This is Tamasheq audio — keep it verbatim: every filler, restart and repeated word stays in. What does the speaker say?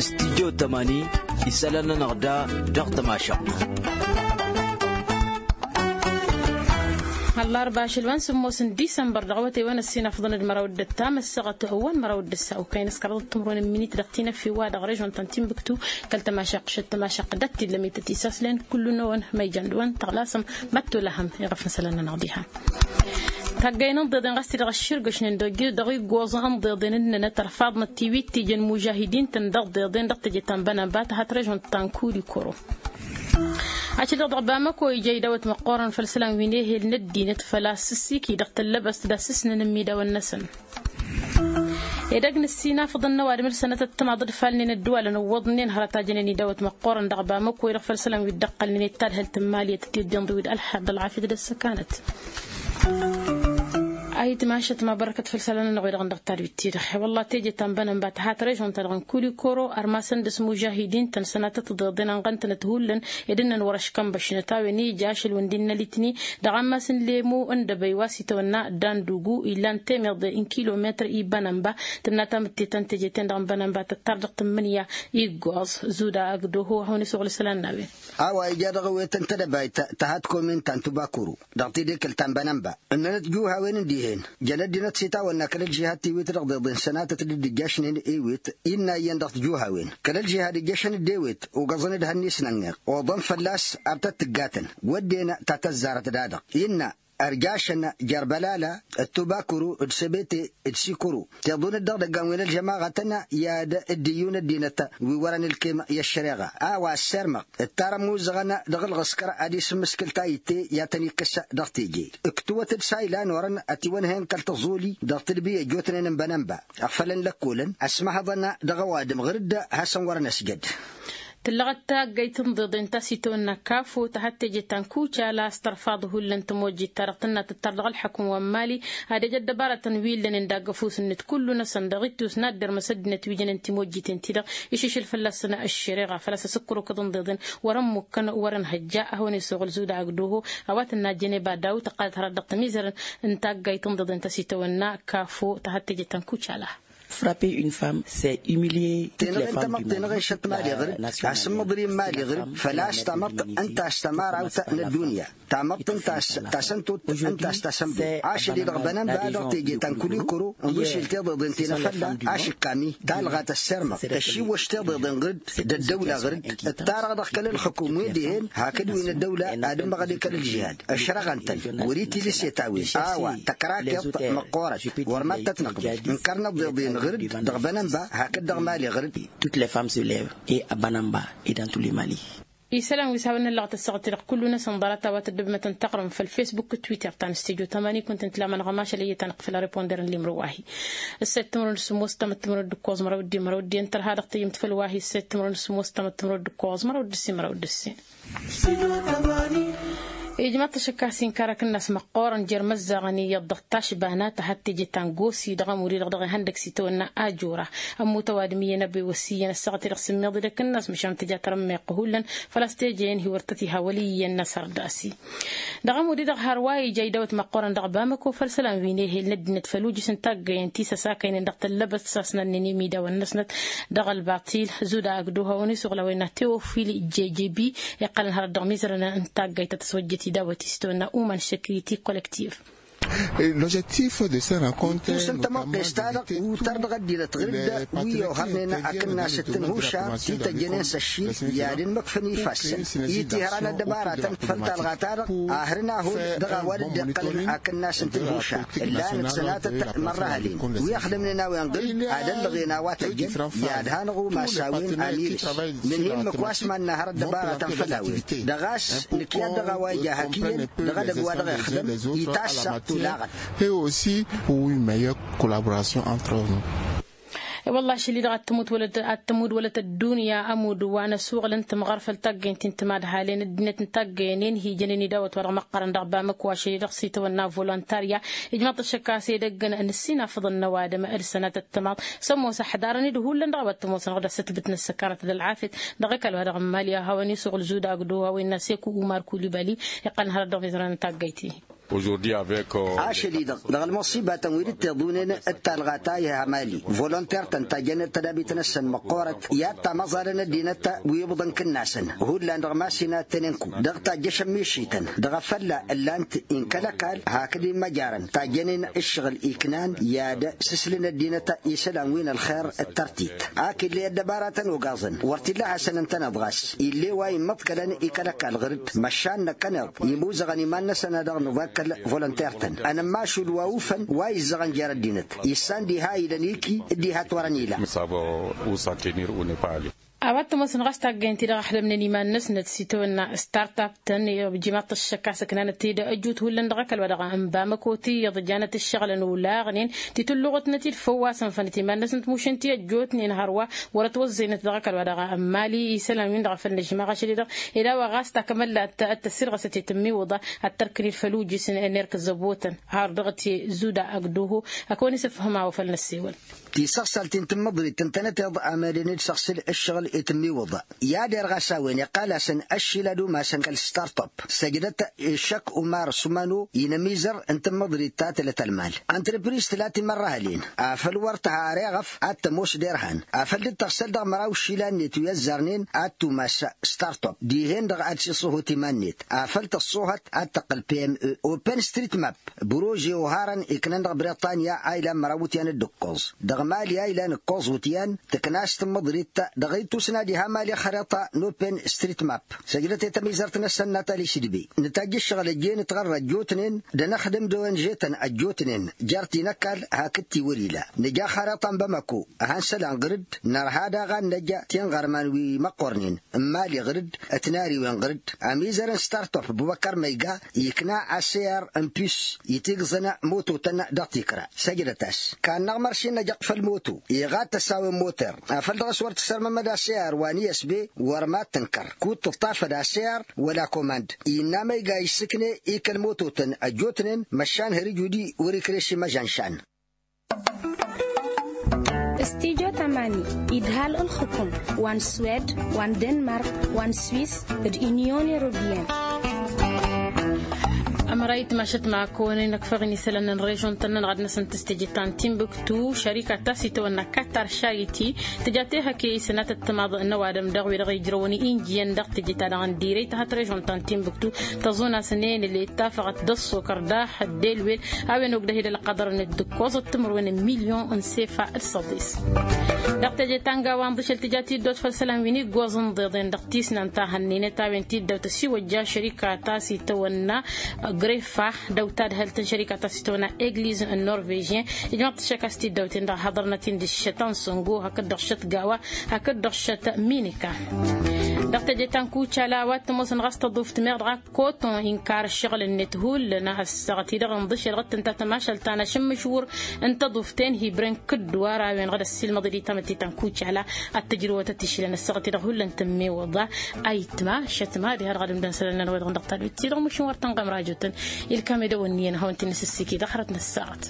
Studyo tămani isălan-nănăɣ da dăɣ-tămašăɣt. Ăllarba ašăl wa n-sǝmmos n-disămbăr dăɣ-awătay wa n-ăssinafḍăn d-măraw d-ăttam ăssaɣăt wa n-măraw d-ăssa okăyăn s-kăraḍăt timǝrwen n-minit dăɣ-tinăffi wa dăɣ-režon ta n-tinbǝktu kăl-tămašăɣt šăt tămašăɣt d-ăttilămit ătisaslen kullu-năwăn ma ijăn dăɣ-wăn tăɣlasăm măttolahăm iɣăf n-isălan-nănăɣ diha. Taggay n-ǝnḍeḍen ɣas-t-dăɣ ăšširgăšnen dăɣ-iggoẓ ǝnḍeḍen ǝnnănăt ărfaḍnăt tiwit tijăn mužahidin-tăn dăɣ-ḍeḍen dăɣ-teje ta n-bănănba tăhăt režon ta n-kurikoro. Ašăl-dăɣ dăɣ-bamăko ija idawăt măqqoorăn făll-isălan wi n-ehel n-ăddinăt făl-a-s ǝssikǝy dăɣ-tăllăbăst d-asǝsnăn n-imidawăn-năsăn. Edăgg n-ăssinafăḍăn n-ăwadǝm d-sănatăt timaḍ d-ifalnen ădduwalăn ǝwwăḍnen hărăt a jănen idawăt măqqoorăn dăɣ-bamăko i-dăɣ făll-isălan wi dd-ăqqălnen i-tadhǝlt n-imali i-tăt-dd-inḍǝw d-ălxer d-ălɣafyăt d-ăssăkanăt. Ayǝtmašăt ma bărkăt făll-isălan-nănăɣ wi-dăɣ n-dăɣ-tadwit-ti-dăɣ. Wălla teje ta n-bănănba tăhat režon-ta-dăɣ n-kulikoro ărmasăn dăɣ-s mužahidin-tăn sănatăt tiḍeḍen ănɣăn-tănăt hullan ed ǝnnăn wăr-ăškănbăšnăt a-wen ija ašăl wǝndin n-alitni dăɣ-ammas n-lemu n-dăbăy wa s-itawănna dandugu illan temeḍe n-kilometăr i-bănănba. Tǝnna tamǝtte ta n-teje-ten-dăɣ n-bănănba tăttar dăɣ-tǝmmǝnǝya iggoẓ zuda ăgg-doho ad-hawăn-isuɣǝl isălan n-a-wen. A-wa ija dăɣ-ewet n-tedăbayt ta had-komin ta n-tubakuru dăɣ-tidekǝlt ta n-bănănba ǝnnănăt juhawen n-dihen jăn ăddinăt s-itawănna kăl-ălžihad tiwit dăɣ-deḍen sănatăt d-dd-ǝjjašnen ewet. Innă iyyăn dăɣ-tijuhawen kăl-ălžihad ǝjjăšăn-dd ewet ugăẓăn-dd hănni-s n-ănneɣ oḍăn fălla-s ar tăt-tǝggatăn wădden ta tăzzarăt da-dăɣ innă ărjašăn jer-bălala d-tubakuru d-sebete d-sikuru tiḍun-dd dăɣ-idăggan wi n-ălžămaɣătăn i-ad-dd-iyyun ăddinăt wi wărăn ǝlkem i-ăššăreɣa a-wa ăssirmăɣ ǝttar ămmuzzăɣăn dăɣ-ǝlɣǝskăr ad-isǝmmǝskǝl tayǝtte i-ad-tăn-ikkǝs dăɣ-teje. Ǝktǝwăt-dd s-a ilan orăn ătiwănhăyăn kăl-tǝẓuli dăɣ-tǝdbi ăjjootnen n-bănănba ăɣfălăn lăkkolăn ăsmăhăḍăn dăɣ-ăwadǝm ɣǝr-dd hasăn-wărăn ăsjăd. Tǝllăɣăt taggayt n-iḍeḍen ta s-itawănna kafo ta had-teje ta n-kucala a-s tărfaḍ hullan timojjit-ta-dăɣ tǝnna tǝttar dăɣ-ălḥăkum wa n-mali ad-ăj ăddăbarătăn wi ǝllănen dagg-ăfuss-net kullu-năsăn dăɣ-ittus n-ad-dermăs ăddinăt wi jănen timojjiten-ti-dăɣ išǝššǝl fălla-săn ăššăreɣa făl-a-s ăsǝkkăr okăḍ n-iḍeḍen wăr-ămmukkăn wăr-ănhăjja ad-hawăn-isuɣǝl zuda ăgg-doho. A-wa tǝnna jeneba dawut ăqqalăt hărăt dăɣ-tămizărăn n-taggayt n-iḍeḍen ta s-itawănna kafo ta had-teje ta n-kucala. Frapper une femme, c'est humilier toutes les femmes du monde. Tenăɣ-e n-tamăḍt tenăɣ-e n-šăt mali ɣăr-dd asǝmmăḍri n-mali ɣăr-dd făl-a-s tamăḍt ǝnta a-s tămărawt n-ăddunya tamăḍt ǝnta a-s tasăn-tot ǝnta a-s tasăn-băy ašăl-i-dăɣ bănănba dăɣ-teje ta n-kulikuru n-išilt iḍeḍen ti n-afălla ašǝkkam-i talɣa tăssirmăɣ tăššiwwăš tiḍeḍen ɣăr-dd d-ăddăwla ɣăr-dd ǝttarăɣ dăɣ-kăl-ǝlxǝkum wi dihen hakd wi n-ăddăwla ad-ǝmmăɣ ad-ikăl ǝlžihad ăšrăɣăn-tăn wăr-itilǝset a-wen a-wa tăkrakeḍt măqqoorăt wăr mad-tăt-năqbăl ǝnkărnăt iḍeḍen ɣăr-dd dăɣ-bănănba hakd dăɣ-mali ɣăr-dd. Toutes les femmes se lèvent et à banamba et dans tous les mali. Isălan wi s-hawăn-năllăɣăt ăssaɣăt-i-dăɣ kullu-năsăn ḍarăt a-wa tăddăbmătăn taɣrǝm făll-fesbuk d-twitter ta n-studyo tămani kunta ǝntǝlamănăɣ ămašal i-tăn-iqqǝfǝl areponder n-limrǝw wa hi-ǝssayăt timǝrwen d-sǝmmos tamăt timǝrwen d-ǝkkoẓ măraw d-i măraw d-i ǝntăr ha-dăɣ tăyyǝmt făll-wa hi-ǝssayăt timǝrwen d-sǝmmos tamăt timǝrwen d-ǝkkoẓ măraw d-ǝssin măraw d-ǝssin. Ijmaḍ-t ašăk a-s inkar akǝnnas măqqoorăn jer-imăzzaɣăn iyyăḍ dăɣ-tašbana ta had-teje ta n-gosi dăɣ-ămudd-i-dăɣ dăɣ-ihăndăg s-itawănna ajora. Ămmut ăwadǝm iyyăn ăbewăs iyyăn ăssaɣăt-i-dăɣ s-ǝmmiḍ-dd akǝnnas măšan tǝja tărǝmmeɣt hullan făl-a-s teje-en hi-wăr tăt-iha wăl' iyyăn n-asăr d-asi. Dăɣ-ămudd-i-dăɣ hărwa ija idawăt măqqoorăn dăɣ-bamăko făll-isălan wi n-ehel n-ăddinăt făll-ujǝs n-taggăyen ti s-ăsakăynen dăɣ-tăllăbăst s-asnănnen imidawăn-năsnăt dăɣ-ălbaṭil. Zuda agduha wa n-isuɣǝl a-wa innă teofil jejebi iqqălăn hărăt dăɣ-imizărăn n-taggayt ta tăswăjjăt idawăt-i s-tawănna uman security collective. L'objectif de cette rencontre, ǝttus n-tămăqqes-ta-dăɣ utar dăɣ-ăddinăt ɣǝr-dd wi ohărnen akǝnnas d-tǝnhuša ti tăjjănen s-ăššil i-ad-ănmăkfăn ifassăn i-tihărăn ăddăbaratăn făll-talɣa-ta-dăɣ a hărăn ahol dăɣ-a-wa dd-iqqălăn akǝnnas n-tǝnhuša ǝllanăt sănatăt mărrăhălen wi ăxdămnen a-wen ɣǝr-dd ad-ăllăɣen a-wa tăjjăn i-ad-hanăɣ umas a-wen amir-s. Nǝnhǝy ǝmmǝk wa s-mannă hărăt ăddăbaratăn făll-a-wen dăɣ-a-s nǝkyad dăɣ-a-wa ija hak iyyăn dăɣ-edăgg wa dăɣ-ixdăm. Itassăɣ tulaɣăt. Et aussi pour une meilleure collaboration entre nous. E-wălla ašăl-i-dăɣ ad-tămud wălăt ăddunya ămud wa n-ăsuɣǝl n-tǝmɣăr făll-taggăyăn ti n-timadhalen ăddinăt n-taggăyăn i-ǝnhǝyjăn i-dăwăt wa dăɣ-măqqărăn dăɣ-bamăko ašăl-i-dăɣ s-itawănna volontarya. Ijmăḍ-t ašăk a-s edăgg n-ǝssin afǝḍăn n-ăwadǝm d-sănatăt timaḍ s-ămoos ăḥḍarăn-dd hullan dăɣ-a-wa t-ămoosăn ɣǝd-asǝtbǝt n-ăssăkanăt d-ălɣafyăt dăɣ-ăkall wa dăɣ-n mali a hawăn-isuɣǝl zuda agdo hawăn-innă seku umar kulibali. Iqqălăn hărăt dăɣ-mizărăn n-taggăyt-i. Ašăl-i-dăɣ dăɣ-ălmăṣibatăn wi dd-tiḍunen d-talɣa ta iha mali volonter-tăn tajjănet tădabit-năsăn măqqoorăt i-ad-tamăẓalăn ăddinăt wi ibḍăn kǝnnasăn. Hullan dăɣ-masinat tenenku dăɣ-tajjăšăn mišităn dăɣ-afălla ǝllan-t inkăl ăkall hakd imăjarăn tajjănen ǝššăɣǝl iknan i-ad-sǝslǝn ăddinăt isălan wi n-ălxer d-tărtit. Ak ill'-e ăddăbaratăn ogaẓăn wăr t-illa hasăn-ǝntăneḍ ɣas ill'-e wa immăḍkălăn ikăl ăkall ɣǝr-dd măšan năkkăneḍ imuzăɣăn iman-năsăn a dăɣ-nǝḍakkăl volonter-tăn ănămmašul wa ufăn wa izzăɣăn jer-ăddinăt issan diha ilăn iki d-diha t-wărăn ila. A-wa t-ămoosăn ɣas taggaynt-i-dăɣ ăxdămnen iman-năsnăt s-itawănna start-up-tăn. Ǝjjimaḍ-t ăššăk a-s ǝknanăt-ed ăjjoot hullan dăɣ-ăkall wa dăɣ-ǝnba măkot iyyăḍ ǝjanăt ǝššăɣǝlăn olaɣnen titǝlluɣăt-năt-dd făw-wa sănfănăt iman-năsnăt mušăn-t i-ăjjootnen hărwa wăr-ătwăzzăynăt dăɣ-ăkall wa dăɣ-ămmali isălan-win-dăɣ a făl nǝžmaɣ ašăl-i-dăɣ ed a-wa ɣas takămăllat. Ad-tăssirɣăsăt i-tǝmmiwǝḍa ad-tărkǝned făll-ujǝs n-erk zăbotăn har dăɣ-t i-zuda ăgg-duhu. Ad-kăwăn-isǝfhǝm a-wa făl năssewăl. Tisăɣsalt ti n-tǝmmǝḍrit ǝntănăteḍ amălen d-săɣsǝl ǝššăɣǝl i-tǝmmiwǝḍa i-ad-irɣas a-wen iqqal-asăn ăššilad umasăn kăl-start-up. Săjdăt išăk umar sumano-i n-ămizăr n-tǝmmǝḍrit ta tǝlăt ălmal ăntrăpriz tǝla timărrăhălen afăl wăr tǝha ar iɣăf ad-tămoos d-irhan afăl dd-tăɣsăl dăɣ-măraw išilan-net wi ăzzarnen ad-tumas start-up dihen-dăɣ ad-siṣṣuhut iman-net afăl tăṣṣuhăt ad-tăqqǝl pme. Open street map brože oharăn iknăn dăɣ-briṭṭanya a ilan măraw wutyan d-ǝkkoẓ dăɣ-mali a ilan ǝkkoẓ wutyan tǝkna a-s tǝmmǝḍrit dăɣ-itusna diha mali xariṭa n-open street map. Săjdăt i-tamizărt-năsăn natali sidbe nǝtajj ǝššăɣǝl ăjjeen ǝtɣărr ăjjootnen d-anăxdăm d-onže-tăn ăjjootnen jer-ti n-ăkall hakd ti wăr-ila nǝja xariṭa n-bamako. Ăhan isălan ɣǝr-dd nărha daɣ ad-năj tinɣărman wi măqqornen n-mali ɣǝr-dd ătnariwen ɣǝr-dd. Ămizăr n-start-up bubăkăr măyga ikna aseyar n-pus itigẓăn mototăn dăɣ-tikra. Săjdăt-as kannăɣ mărši n-năjăɣ făll-moto iɣatăs a-wen moter afăl dăɣ-s wăr t-sărmămăd aseyar wa n-isb wăr mad-tǝnkăr kud-tǝṭṭafăd aseyar wăla komand. Innă măyga issǝkne i-kăl-mototăn ăjjootnen măšan hărǝj udi wăr-ikreš imăžanšan. Stijo tamani idhal ǝlxǝkum wa n-swed wa n-denmark wa n-swis d-inyon europiyăn. Ămărayt mašăt ma kăwăn-inăkfăɣ n-isălan n-režon-tăn-nănăɣ ad-năsăn tǝstejǝt ta n-timbuktu šărika ta s-itawănna katar šayiti tǝja tehăke isănatăt timaḍ n-ăwadǝm dăɣ-wi-dăɣ ijrăwăn injiyăn dăɣ-teje-ta-dăɣ n-dirăy tahăt režon ta n-timbuktu tăẓun-asăn enăl i-tafăɣăt d-ăṣṣokăr daɣ d-elwel a-wen ogdăh-ed ălqăḍăr-net d-ǝkkoẓăt timǝrwen n-milyon n-sefa d-săḍis. Dăɣ-teje ta n-gawa ǝnḍǝšăl tǝja tiddawt făll-isălan wi n-iggoẓ ǝnḍeḍen dăɣ-tisnant ta hănnenăt a-wen tiddawt ăsiwăjja šărika ta s-itawănna grefa dăw-tadhălt n-šărika ta s-itawănna egliz n-norvežyen. Ijmăḍ-t ăššăk a-s tiddawt-en-dăɣ haḍărnăt-in d-ǝššăt ansongo hakd-dăɣ šăt gawa hakd-dăɣ šăt minika. Dăɣ-teje ta n-kucala a-wa t-ămoosăn ɣas tăḍuft meɣ dăɣ-ak koton inkar ǝššăɣǝl-net hullan a ăssaɣăt-i-dăɣ ǝnḍǝšel ɣǝttǝnta tămašalt ta n-ašǝmmǝšwur n-tăḍuft-en hi-ibrăn kǝddǝwar a-wen-dăɣ d-ăssiilmăḍ-dd i-tamătte ta n-kucala ad-tǝjrǝwăt ad-t-išlăn ăssaɣăt-i-dăɣ hullan tǝmmew ăḍa. Ayǝtma šătma diha-dăɣ ad-ǝmdăn isălan-nănăɣ-wi-dăɣ n-dăɣ-tadwit-i-dăɣ mušǝn wăr tănɣăm rajotăn. Ilkam edăw ǝnniyăn ad-hawăn-t-in-nǝsǝssiki dăɣ-hărăt n-ăssaɣăt.